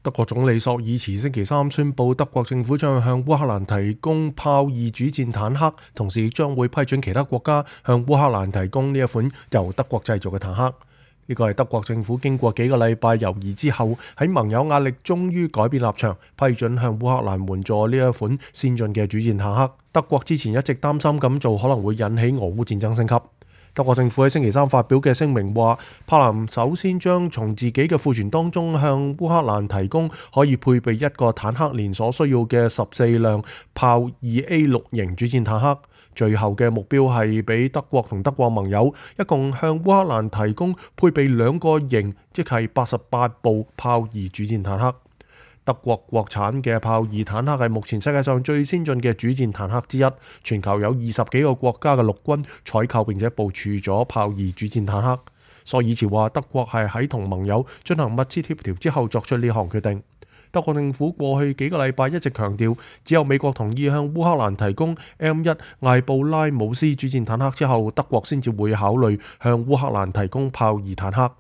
德國總理朔爾茨星期三宣布，德國政府將向烏克蘭提供豹二主戰坦克，同時亦將會批准其他國家向烏克蘭提供呢一款由德國製造嘅坦克。呢個係德國政府經過幾個禮拜猶豫之後，喺盟友壓力終於改變立場，批准向烏克蘭援助呢一款先進嘅主戰坦克。德國之前一直擔心咁做可能會引起俄烏戰爭升級。德國政府喺星期三發表嘅聲明話，柏林首先將從自己嘅庫存當中向烏克蘭提供可以配備一個坦克連所需要嘅14輛豹二 A6 型主戰坦克。最後嘅目標係俾德國同德國盟友一共向烏克蘭提供配備2個型，即係88部豹二主戰坦克。德國國產嘅豹二坦克係目前世界上最先進嘅主戰坦克之一，全球有20幾個國家嘅陸軍採購並且部署咗豹二主戰坦克。朔爾茨話，德國係喺同盟友進行密切協調之後作出呢項決定。德國政府過去幾個禮拜一直強調，只有美國同意向烏克蘭提供 M1 艾布拉姆斯主戰坦克之後，德國先至會考慮向烏克蘭提供豹二坦克。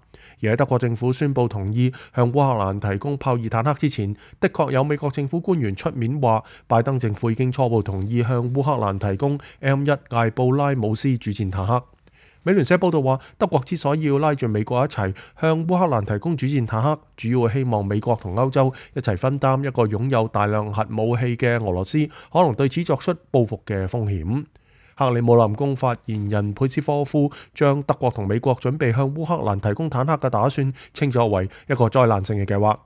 而喺德國政府宣布同意向烏克蘭提供豹二坦克之前，的確有美國政府官員出面話，拜登政府已經初步同意向烏克蘭提供 M1 艾布拉姆斯主戰坦克。美聯社報道話，德國之所以要拉住美國一齊向烏克蘭提供主戰坦克，主要係希望美國同歐洲一齊分擔一個擁有大量核武器嘅俄羅斯可能對此作出報復嘅風險。克里姆林宮發言人佩斯科夫將德國同美國準備向烏克蘭提供坦克嘅打算稱作為一個災難性嘅計劃。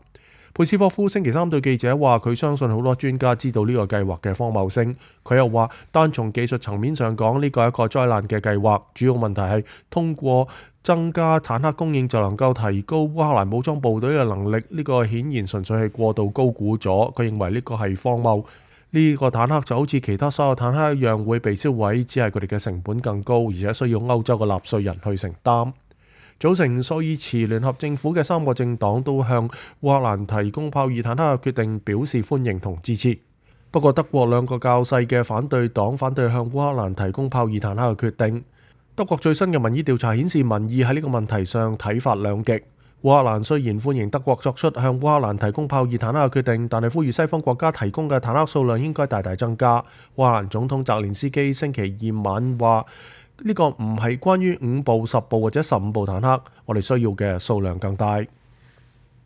佩斯科夫星期三對記者話，佢相信好多專家知道呢個計劃嘅荒謬性。佢又話，單從技術層面上講，呢個係一個災難嘅計劃。主要問題係通過增加坦克供應就能夠提高烏克蘭武裝部隊嘅能力，呢個顯然純粹係過度高估咗。佢認為呢個係荒謬。呢個坦克就好似其他所有坦克一樣會被燒毀，只係佢哋嘅成本更高，而且需要歐洲嘅納稅人去承擔。組成朔爾茨聯合政府嘅3個政黨都向烏克蘭提供豹二坦克嘅決定表示歡迎同支持。不過德國2個較細嘅反對黨反對向烏克蘭提供豹二坦克嘅決定。德國最新嘅民意調查顯示，民意喺呢個問題上睇法兩極。烏克蘭雖然歡迎德國作出向烏克蘭提供豹二坦克嘅決定，但係呼籲西方國家提供嘅坦克數量應該大大增加。烏克蘭總統澤連斯基星期二晚話，呢個唔係關於5部、10部或者15部坦克，我哋需要嘅數量更大。